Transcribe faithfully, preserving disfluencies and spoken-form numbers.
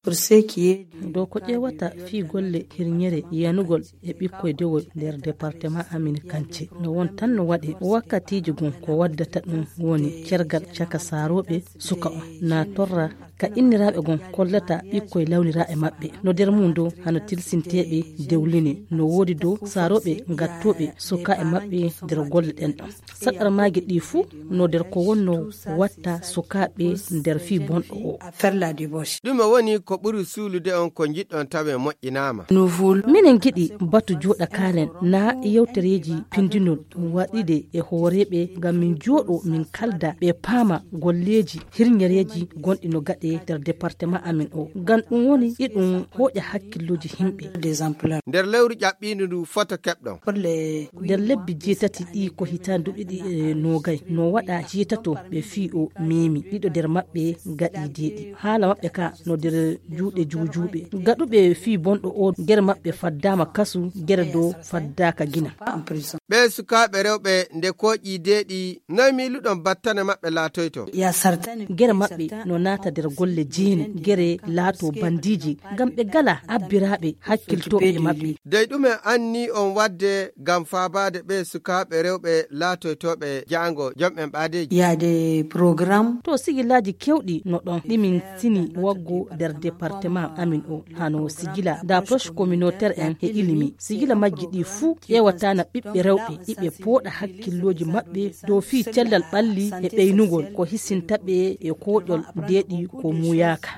Dow ko ƴeewata fii golle hirñere yanugol e ɓikkoy dewoy nder departement amin kance, no won tan no waɗe wakkatiiji gon ko waddata ɗum woni cergal caka saarooɓe suka on na torra ka inniraaɓe gon kollata ɓikkoy lawniraa e maɓɓe no nder mum dow hano tilsinteeɓe dewline no woodi dow saarooɓe gattooɓe suka e maɓɓe nder golle ɗen ɗon. Saɗɗarmaaji ɗi fuu no nder ko wonno watta sukaaɓe nder fii bonɗo o. Ɗume woni ko ɓuri suulude on ko njiɗɗon tawe moƴƴinaama? Minen ngiɗi batu jooɗa kaalen na yewtereeji pindinol waɗiɗe e hooreeɓe ngam min jooɗo min kalda ɓe paama golleeji hirñereeji gonɗi no gaɗe nder departement amin o ngam ɗum woni iɗum hooƴa hakkillooji himɓe. Nder lewru ƴaɓɓiindu ndu foto keɓɗon? Nder lebbi jeetati ɗi ko hitaande duuɓi ɗiɗi e noogay no waɗa jeetato ɓe fii o meemi ɗiɗo nder maɓɓe gaɗi deeɗi haala maɓɓe ka no nder juuɗe juujuuɓe gaɗuɓe fii bonɗo o gere maɓɓe faddaama kasu gere dow faddaaka gina. Ɓee sukaaɓe rewɓe nde kooƴi deeɗi noy miiluɗon battane maɓɓe laatoyto? Gere maɓɓe no naata nder golle jeene gere laato bandiiji ngam ɓe gala abbiraaɓe hakkiltooɓe e maɓɓe. Dey ɗume anni on waɗde ngam faabaade ɓee sukaaɓe rewɓe laatoytooɓe jaango jom'en ɓaadeeji? To sigilaaji kewɗi no ɗon ɗimin sini waggo nder departement amin o hano sigila d'approche communautaire en e ilimi sigila majji ɗi fuu ƴeewataana ɓiɓɓe rewɓe iɓe pooɗa hakkillooji maɓɓe dow fii cellal ɓalli e ɓeynugol ko hisinta ɓe e kooƴol deeɗi ko muuyaaka.